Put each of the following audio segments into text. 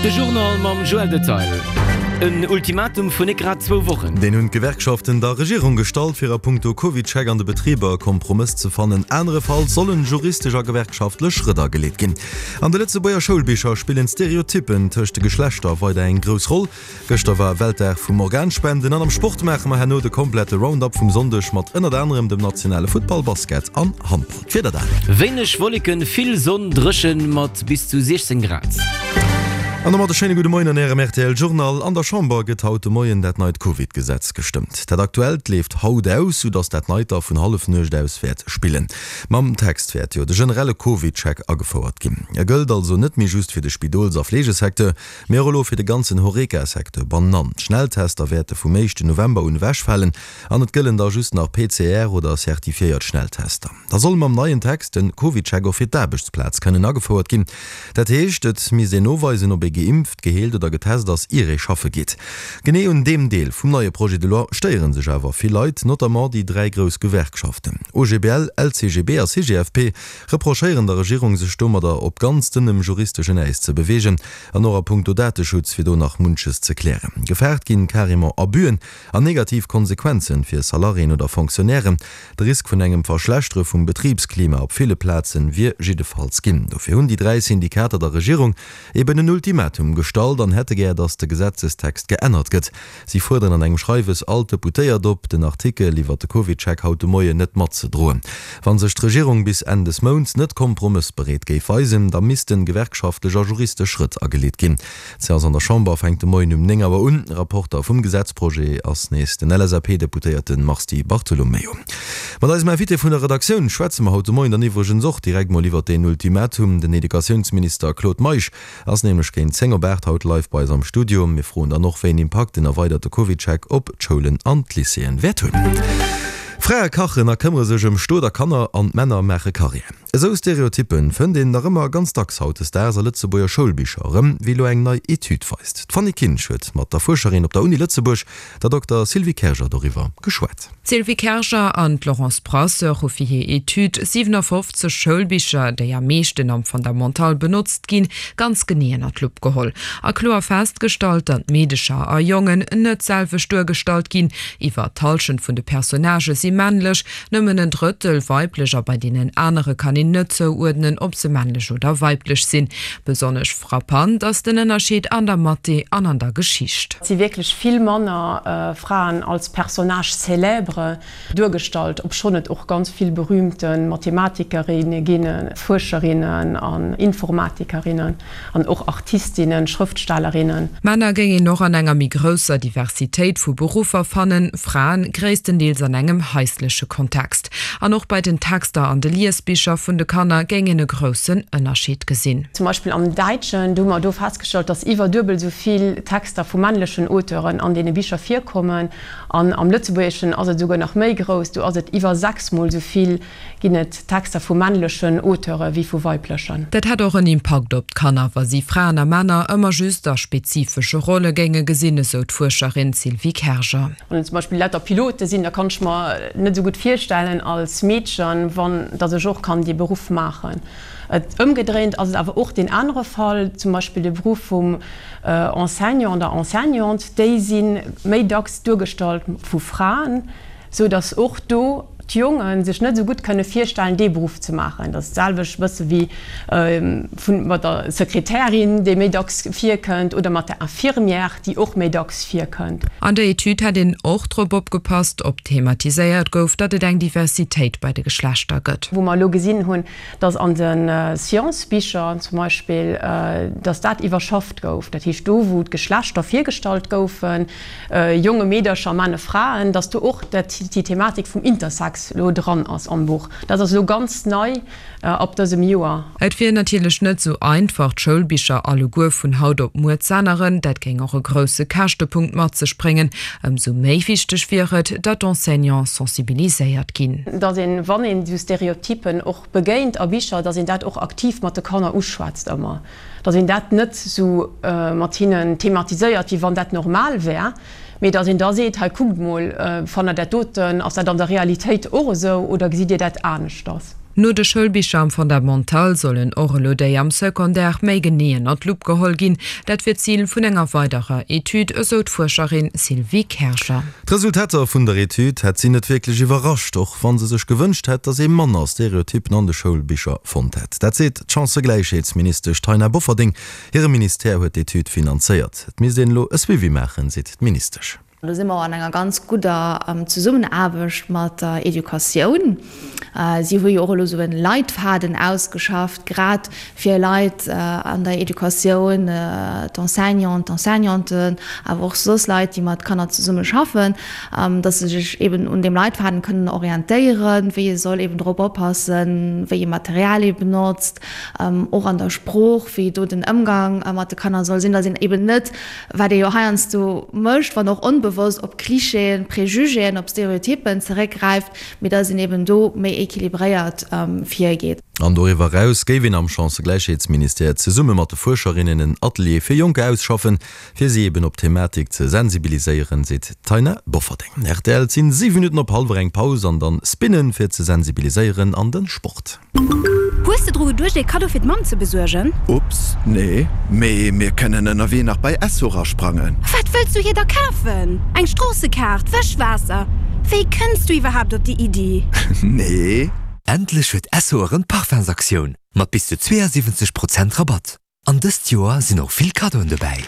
De Journal mam Joël Detail. En Ultimatum vun net grad zwou Wochen. Deen hunn d'Gewerkschaften der Regierung gestallt, fir a punkto CovidCheck an de Betriber e Kompromëss ze fannen. Anerefalls sollen juristesch a gewerkschaftlech Schrëtt ageleet ginn. An de Lëtzebuerger Schoulbicher spillen d'Stereotyppen tëscht de Geschlechter weider eng grouss Roll. Gëschter war Weltdag vum Organspenden an am Sport maache mer herno de komplette Roundup vum Sonndeg mat ënnert anerem dem nationale Futtball, Basket an Handball. D'Wieder dann. Wéineg Wolleken, vill Sonn, dréchen mat bis zu 16 Grad. An domat e schéine gudde Moien an Ärem rtl Journal. An der Chamber gëtt haut de Moien dat neit Covid-Gesetz gestëmmt. Dat aktuellt leeft haut aus, sou datt dat neit da vun Hallefnuecht aus wäert spillen. Mam Text wäert jo de generelle Covid-Check agefouert ginn. E gëllt also net méi just fir de Spidols a Fleegesecteur, Mee och elo fir de ganzen Horeca-Secteur bannan. D'Schnelltester wäerte vum éischten November un ewechfalen an et gëllen da just nach PCR oder certifiéiert Schnelltester. Da soll mam neien Text den CovidCheck och fir d'Aarbechtsplaz kënnen agefouert ginn. Dat heescht, et misst een noweisen, ob ee geimpft, geheelt oder getest ass, ier ee schaffe geet. Genee un deem Deel vum neie Projet de loi stéiere sech awer vill Leit, notamment déi 3 grouss Gewerkschaften OGBL, LCGB a CGFP reprochéieren der Regierung, sech domadder op ganz dënnem juristeschen Äis ze beweegen. An och a punkto Dateschutz wier do nach munches ze klären. Gefaart ginn carrément Abüen an negativ Konsequenzen fir Salariéen oder Fonctionnairen. De Risk vun engem Verschlechtere vum Betribsklima op ville Plazen wier jiddefalls ginn. Dofir hunn déi 3 Syndikater der Regierung eben en Ultimatum gestallt an hätte gär, datt de Gesetzestext geännert gëtt. Si fuerderen an engem Schreiwes all d'Deputéiert op, den Artikel iwwer de CovidCheck haut de Moien net matzedroen. Wa sech d'Regierung bis Enn des Mounts net kompromëssbereet géif weisen, da missten gewerkschaftlech a juristesch Schrëtt ageleet ginn. D'Seance an der Chamber fänkt de Moien um 9 Auer un. Rapporter vum Gesetzprojet ass nees den LSAP-Deputéierte Mars Di Bartolomeo. Mat eisem Invité vun der Redaktioun schwätze mer haut de Moien dann iwwregens och direkt mol iwwer deen Ultimatum. Den Educatiounsminister Claude Meisch Ass nämlech géint 10 op 8 haut live bei eis am Studio. Mir froen dann och, wéi en Impakt den erweiderte CovidCheck op d'Schoulen an d'Lycéeën wäert hunn. Frae kachen a këmmere sech ëm Stot a Kanner an d'Männer maache Karriär. Esou Stereotyppen fënnt een nach ëmmer ganz dacks hautdesdaags a Lëtzebuerger Schoulbicher erëm, wéi elo eng nei Etüd weist. D'Fanny Kinsch huet mat der Fuerscherin op der Uni Lëtzebuerg, der Dokter Sylvie Kerger doriwwer geschwat. D'Sylvie Kerger an d'Laurence Brasseur hu fir hir Etüd 57 Schoulbicher, déi am meeschten am Fondamental benotzt ginn, ganz genee ënner d'Lupp geholl a kloer festgestallt, datt Meedecher a Jongen net d'selwecht duergestallt ginn. Iwwer d'Hallschent vun de Personnagë si männlech, nëmmen en Drëttel weiblech a bei deenen anere kann een net zouuerdnen, ob se männlech oder weiblech sinn. Besonnesch frappant ass den Ënnerscheed an der Mathé an an der Geschicht. Et si wierklech vill manner Fraen als Personnages célèbres duergestallt, obschonn et och ganz vill berühmte Mathematikerinne ginn, Fuerscherinnen an Informatikerinnen an och Artistinnen, Schrëftstellerinnen. Männer géing een och an enger méi grousser Diversitéit vu Beruffer fannen, Fraen gréisstendeels an engem haisleche Kontext. An och bei den Texter an de Liesbicher vun de Kanner géing een e groussen Ënnerscheed gesinn. Zum Beispill am Däitschen, do hu mer do festgestallt, dass iwwer duebel esou vill Texter vu männlechen Auteuren an deene Bicher virkommen. An am Lëtzebuergeschen ass et esouguer nach méi grouss, do ass et iwwer sechsmol esou vill ginn et Texter vu männlechen Auteure wéi vu weiblechen. Dat hätt och en Impakt op d'Kanner, wa si Fraen a Männer ëmmer just a spezifesche Rolle géinge gesinn, esou d'Fuerscherin Sylvie Kerger. Wann et zum Beispill lauter Pilote sinn, da kann ech mer net esou gutt virstellen als Meedchen, wann datt ech och kann dee Beruff maachen. Et ëmgedréint ass et awer och deen anere Fall, zum Beispill de Beruff vum Enseignant, der Enseignante, déi si méi dacks duergestallt vu Fraen, sou datt och do d'Jonge sech net esou gutt kënne virstellen, dee Beruff ze maachen. Dat ass d'selwecht e bësse wéi mat der Sekretärin, déi méi dacks virkënnt, oder mat der Infirmière, déi och méi dacks virkënnt. An der Etüd hätt een och drop opgepasst, ob thematiséiert gouf, datt et eng Diversitéit bei de Geschlechter gëtt. Wou mer elo gesinn hunn, datt an de Sciences-Bicher zum Beispill, datt dat iwwerschafft gouf, dat heescht do, wou d'Geschlechter virgestallt goufen, Jonge Meedercher, Männe, Fraen, dass do och dat déi Thematik vum Intersex elo dran ass am Buch. Dat ass elo ganz nei ab dësem Joer. Et wier natierlech net esou einfach, d'Schoulbicher alleguer vun haut op muer z'änneren. Dat géing och e grousse Käschtepunkt mat sech bréngen. Ëmsou méi wichteg wier et, datt d'Enseignants sensibiliséiert ginn. Dass een, wann een esou Stereotypen och begéint a Bicher, dass een dat och aktiv mat de Kanner uschwätzt ëmmer. Datt een dat net esou mat hinnen thematiséiert, wéi wann dat normal wär, mee datt een da seet, hei kuckt mol, fannt Der dat doten, ass dat an der Realitéit och esou oder gesitt Dir dat aneschters? No de Schoulbicher am Fondamental sollen och elo déi am Secondaire méi genee ënner d'Lupp geholl ginn. Dat wier d'Zil vun enger weiderer Etüd, esou d'Fuerscherin Sylvie Kerger. D'Resultater vun der Etüd hätt si net wierklech iwwerrascht, och wa se sech gewënscht hätt, datt ee manner Stereotyppen an de Schoulbicher fonnt hätt. Dat seet d'Chancëgläichheetsministesch Taina Bofferding. Hire Ministère huet d'Etüd finanzéiert. Et misst een elo e Suivi maachen, seet d'Ministesch. Do si mer och an enger ganz gudder Zesummenaarbecht mat der Educatioun. Si hu jo och elo esou e Leitfaden ausgeschafft, grad fir Leit an der Educatioun, d'Enseignanten, d'Enseignanten, awer och soss Leit, déi mat Kanner zesumme schaffen, dass se sech eben un deem Leitfaden kënnen orientéieren, wéi ee soll eben drop oppassen, wéi ee Material ee benotzt, och an der Sprooch, wéi do den Ëmgang mat de Kanner soll sinn, dass een eben net wat ee jo heiansdo mécht, wann och onbewosst, op Klischeeën, Prejugéen, op Stereotyppen zeréckgräift, mee dass een eben do méi équilibréiert virgeet. An doriwwer eraus géif een am Chancëgläichheetsministère zesumme mat de Fuerscherinnen en Atelier fir Jonker ausschaffen, fir si eben op d'Thematik ze sensibiliséieren, seet d'Taina Bofferding. Rtl, Et sinn 7 Minutten op hallwer, eng Paus an dann Spinnen fir ze sensibiliséieren an den Sport. Hues de dru geduecht ee Kaddo fir d'Mamm ze besuergen? Ups, nee, mee mir kënnen ënnerwee nach bei Esso rasprangen. Wat wëlls du hir da kafen? Eng Stroossekaart, Wëschwaasser? Wéi kënns du iwwerhaapt op déi Iddi? Nee. Endlech huet Esso erëm d'Parfumsaktioun mat bis zu 72 Prozent Rabatt. An dëst Joer sinn och vill Kaddoen dobäi.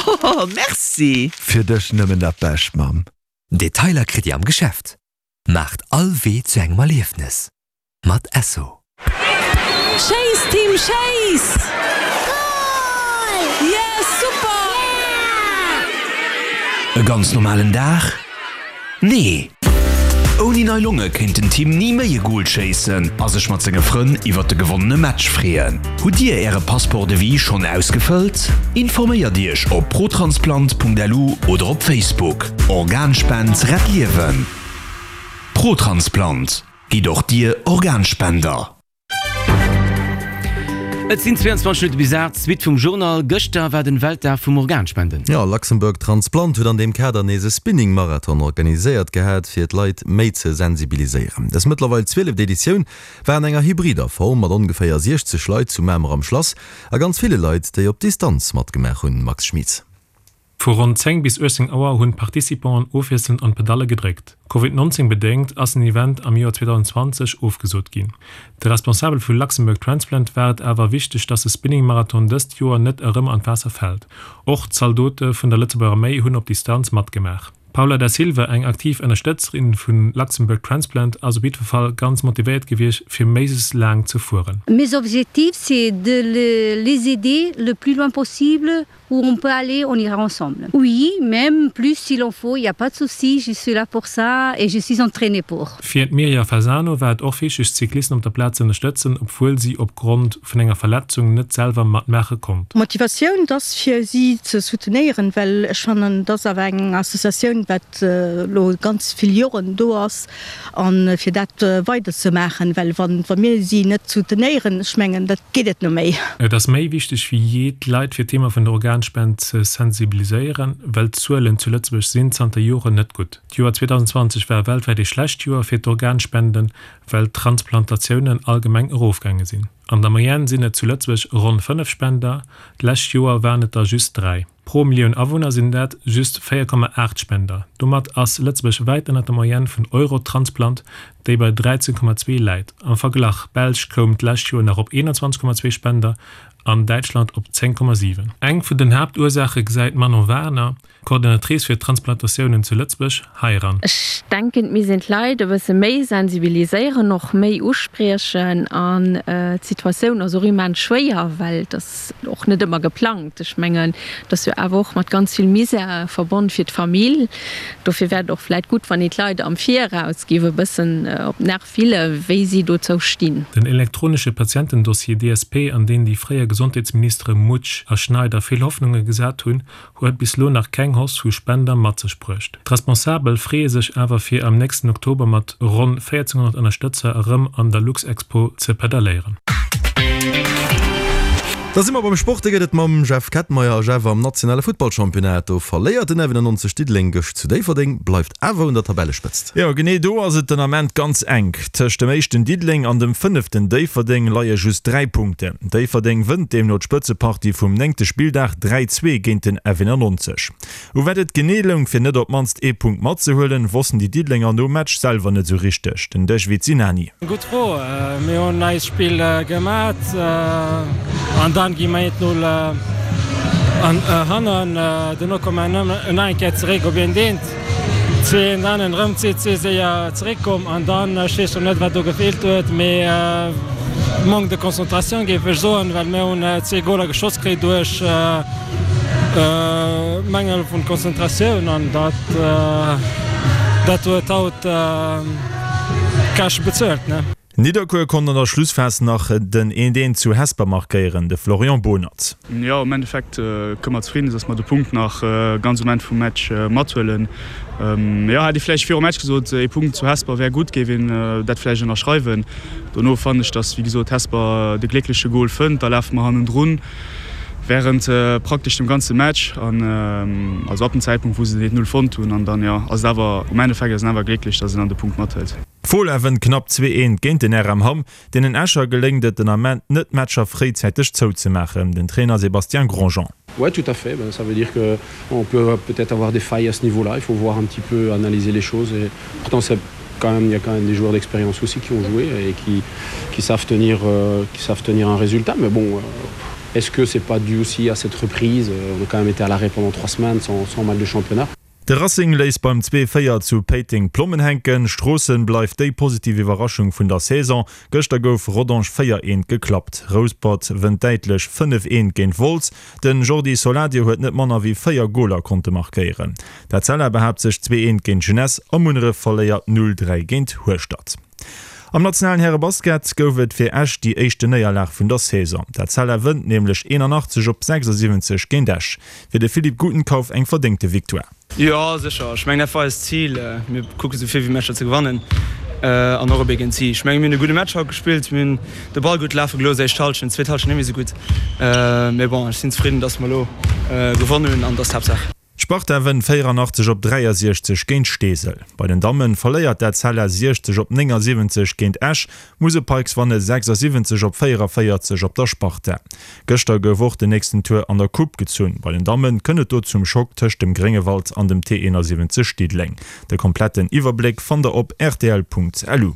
Oh, merci! Fir dech nëmmen dat Bescht, Mamm. Detailer kritt dir am Geschäft. Maacht all Wee zu engem Erliefnes mat Esso. Schéiss Team schéiss! Goal! Yes super! E ganz normalen Dag? Nee! Ouni nei Longe kéint den Tim ni méi e Goal schéissen a sech mat senge Frënn iwwert de gewonnene Match freeën. Hutt Dir Äre Passeport de vie schonn ausgefëllt? Informéiert Iech op protransplant.lu oder op Facebook. Organspend rett Liewen! Protransplant, Gitt och Dir Organspender! Et sinn 22 Minutte bis 8, d'Suite vum Journal. Gëschter war den Weltdag vum Organspenden. Jo, Luxembourg Transplant huet an deem Kader nees e Spinning-Marathon organiséiert gehat, fir d'Leit méi ze sensibiliséieren. Dës mëttlerweil zwieleft Editioun war an enger hybrider Form, mat ongeféier 60 Leit zu Mamer am Schlass a ganz ville Leit, déi op Distanz matgemaach hunn. Max Schmitz. Vu ronn 10 bis 18 Auer hunn d'Participanten ofwiesselnd an d'Pedalle gedréckt. Covid 19 bedéngt ass den Event am Joer 2020 ofgesot ginn. De Responsabel vu Luxembourg Transplant war et awer wichteg, dass de Spinning Marathon dëst Joer net erëm an d'Waasser fält. Och Zaldote vun der Lëtzebuerger Arméi hunn op Distanz matgemaach. D'Paula Da Silva, eng aktiv Ënnerstëtzerin vu Luxembourg Transplant, ass op jiddwer Fall ganz motivéiert gewiescht, fir méiglechst laang ze fueren. Mes objectifs c'est de les aider le plus loin possible Où on peut aller, on ira ensemble. Oui, même plus s'il en faut, il y a pas de souci, je suis là pour ça et je suis entraînée pour. Fir d'Mirja Fasano war et och wichteg, d'Cyclisten op der Plaz ze ënnerstëtzen, obwuel si opgrond vun enger Verletzung net selwer matmaache konnt. D'Motivatioun, et ass fir si ze soutenéieren, well ech fannen, et ass awer eng Associatioun, wat elo ganz vill Joren do ass, a fir dat weider ze maachen, well wa mir si net soutenéieren, ech mengen, dat geet et no méi. Et ass méi wichteg wéi jee, d'Leit fir d'Thema vun der Organspend ze sensibiliséieren, well d'Zuelen zu Lëtzebuerg sinn zanter Joren net gutt. D'Joer 2020 war weltwäit ee schlecht Joer fir d'Organspenden, well d'Transplantatiounen allgemeng erofgaange sinn. An der Moyenne sinn et zu Lëtzebuerg ronn 5 Spender, d'lescht Joer waren et der just 3. Pro Millioun Awunner sinn dat just 4,8 Spender. Domat ass Lëtzebuerg wäit ënnert der Moyenne vun Eurotransplant, déi bei 13,2 läit. Am Verglach, D'Belsch koum d'lescht Joer nach op 21,2 Spender an Däitschland op 10,7. Eng vun den Haaptursaache gesäit d'Manon Wagner, Coordonnatrice fir Transplantatiounen zu Lëtzebuerg, heiran. Ech denken, et misst een d'Leit e bësse méi sensibiliséieren, och méi uspriechen. An d'Situatioun ass och immens schwéier, well et ass och net ëmmer geplangt. Ech mengen, et ass jo awer och mat ganz vill Misär verbonn fir d'Famill. Dofir wär et och vläicht gutt, wann een d'Leit am Viraus géif e bëssen op d'Nerve fillen, wéi si dozou stinn. Den elektronesche Patientendossier DSP, an deen déi fréier Gesondheetsministere Mutsch a Schneider vill Hoffnunge gesat hunn, huet bis lo nach keng Hausse vu Spender mat sech bruecht. D'Responsabel freeë sech awer fir am nächsten Oktober mat ronn 1400 Ënnerstëtzer erëm an der Luxexpo ze pedalléieren. Da si mer beim Sport, dee gëtt et mam Jeff Kettmeyer. A Jeff, am nationale Futtballchampionnat, do verléiert den F91 Diddeleng gëscht zu Déifferdeng, bleift awer un der Tabellespëtzt. Jo, genee do ass et den Ament ganz enk. Tëscht dem éischten Diddeleng an dem fënneften Déifferdeng leie just 3 Punkten. Déifferdeng wënnt deemno d'Spëtzepartie vum néngte Spilldag 3, 2 géint den F91. U wat et genee loung fir net op d'mannst ee Punkt matzehuelen, wossten déi Diddelenger nom Match selwer net esou richteg. Den Dejvid Sinani. Gutt Fro. Mir hunn eist Spill gemat an dann gi mer eent Null hannen. Dono komme mer nach eng Kéier zeréck op eent eent. 2 eent an erëm 2 séier zeréckkomm an dann, ech weess scho net wat do gefeelt huet, mee Manque de concentration géif ech soen, well mir hunn zwee Goler geschoss kritt duerch Mangel vun Konzentratioun an dat dat huet haut d'Käschte bezuelt. Nidderkuer konnt an der Schlussphas nach den eent eent zu Hesper markéieren, de Florian Bohnert. Jo, am Endeffekt kënne mer zefridden sinn, dass mer de Punkt nach ganz um Enn vum Match mathuelen. Jo, hätt ee vläicht virum Match gesot, ee Punkt zu Hesper wär gutt, géif een dat vläicht ënnerschreiwen. Dono fannen ech, dass wéi gesot Hesper de gléckleche Gol fënnt, da lafe mer hannendrun. Während praktesch dem ganze Match an also ab dem Zäitpunkt wou se den 1-0 fonnt hunn an dann jo ass et awer um Endeffekt ass en awer glécklech dass en dann de Punkt mathëlt. D'Fola wënnt knapp 2, 1 géint den RM Hamm. Deenen Escher geléngt et den Ament net d'Matcher fréizäiteg zouzemaachen. Den Trainer Sébastien Grandjean. Ouais tout à fait, ben ça veut dire que on peut peut-être avoir des failles à ce niveau-là, il faut voir un petit peu analyser les choses et pourtant c'est quand même il y a quand même des joueurs d'expérience aussi qui ont joué et qui, qui savent tenir euh, qui savent tenir un résultat mais bon euh, est-ce que c'est pas dû aussi à cette reprise euh, on a quand même été à l'arrêt pendant trois semaines sans, sans mal de championnat. De Racing léisst beim 2, 4 zu Péiteng d'Plommen hänken. Stroossen bleift déi positiv Iwwerraschung vun der Saison. Gëschter gouf Rodange 4, 1 geklappt. Rouspert wënnt däitlech 5, 1 géint Wolz. Den Jordi Soladio huet net manner wéi 4 Goler konnte markéieren. D'Etzella behaapt sech 2, 1 géint Jeunesse a Munneref verléiert 0, 3 géint Hueschtert. Am nationalen Härebasket gouf et fir Esch déi éischte Néierlag vun der Saison. D'Etzella wënnt nämlech 81 op 76 géint Esch. Fir de Philippe Gutenkauf eng verdéngte Victoire. Jo sécher, ech mengen dat war eist Zil. Mir kucke sou vill wéi Matcher ze gewannen an och op ee géint si. Ech menge mir hunn e gudde Match haut gespillt, mir hunn de Ball gutt lafe gelooss, éischt Hallschent, zweet Hallschent net méi sou gutt. Mee bon, ech sinn zefridden, datt mer elo gewonnen hunn an dat ass d'Haaptsaach. D'Sparta wënnt 84 op 63 géint Steesel. Bei den Damme verléiert d'Etzella 60 op 79 géint Esch, D'Musel Pikes wanne 76 op 44 op der Sparta. Gëschter gouf och den nächsten Tour an der Coupe gezunn. Bei den Damme kënnt et do zum Schock tëscht dem Gréngewald an dem T71 Diddeleng. De kompletten Iwwerbléck fannt der op rtl.lu.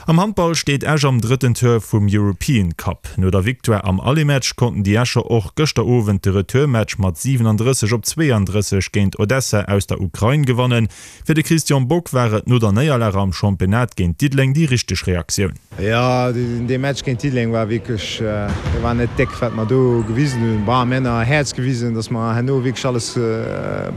Am Handball steet Esch am drëtten Tour vum European Cup. No der Victoire am Aller-Match konnten déi Escher och gëschter Owend de Retourmatch mat 37 op 32 géint Odessa aus der Ukrain gewannen. Fir de Christian Bock war et no der Néierlag am Championnat géint Diddeleng déi richteg Reaktioun. Jo, dee Match géint Diddeleng war wierklech, dee war net déck, wat mer do gewisen hunn. Bon, mir hunn nach Häerz gewisen, datt mer herno wierklech alles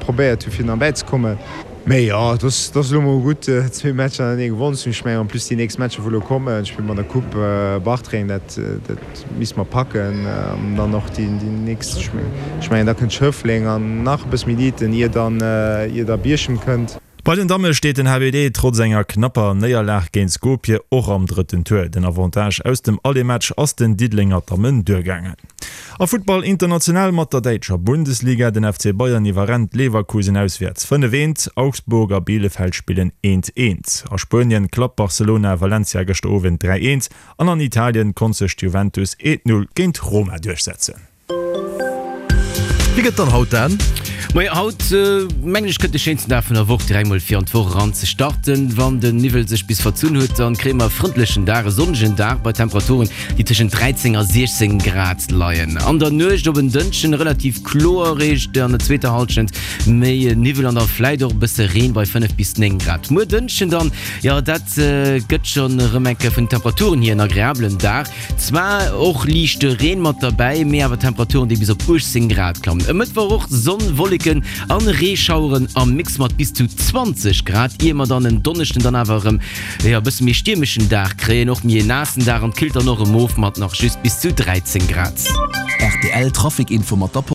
probéiert hu fir nach bäizekommen. Mee jo, et ass elo mol gutt, zwee Matcher hannertenee gewonnen ze hunn. Ech mengen en plus déi nächst Matcher wou elo kommen, spille mer an der Coupe Bartreng, dat misste mer packen. An dann och déi nächst, ech mengen da kënnt Schëffleng an nach e bësse méi Diten, ier dann, ier da Bierchem kënnt. Bei den Damme steet den HBD trotz enger knapper Néierlag géint Skopje och am drëtten Tour. Den Avantage aus dem Aller-Match ass den Diddelenger Dammen duergaangen. A Futtball international mat der däitscher Bundesliga, Den FC Bayern iwwerrennt Leverkusen auswäerts 5, 1, Augsburg a Bielefeld spillen 1, 1. A Spuenien klappt Barcelona Valencia gëschter Owend 3, 1 an an Italien konnt sech d'Juventus 1, 0 géint Roma duerchsetzen. Wéi gëtt dann haut Dan? Moie, haut mengen ech kënnt de schéinsten Dag vun der Woch direkt mol fir an d'Woch eran ze starten. Wann den Niwwel sech bis verzunn huet, dann kréie mer e frëndlechen Dag, e sonnegen Dag bei Temperaturen, déi tëschent 13 a 16 Grad leien. An der Nuecht op en Dënschden relativ kloer, eréischt an der zweeter Hallschent méi Niwwel an da vläit och e bësse Reen bei 5 bis 9 Grad. Muer Dënschden dann, jo dat gëtt schonn erëm eng Kéier vun den Temperaturen hier en agreabelen Dag. Zwar och liichte Reen mat derbäi, mee awer Temperaturen, déi bis op 18 Grad klammen. E Mëttwoch och Sonn, Wolleken an Reeschaueren am Mix mat bis zu 20 Grad, ier mer dann en Donneschden dann awer erëm jo e bësse méi stiermeschen Dag kréien, och méi e naassen Dag an et killt dann och erëm of mat nach just bis zu 13 Grad. Rtl Trafic Info mat der Police.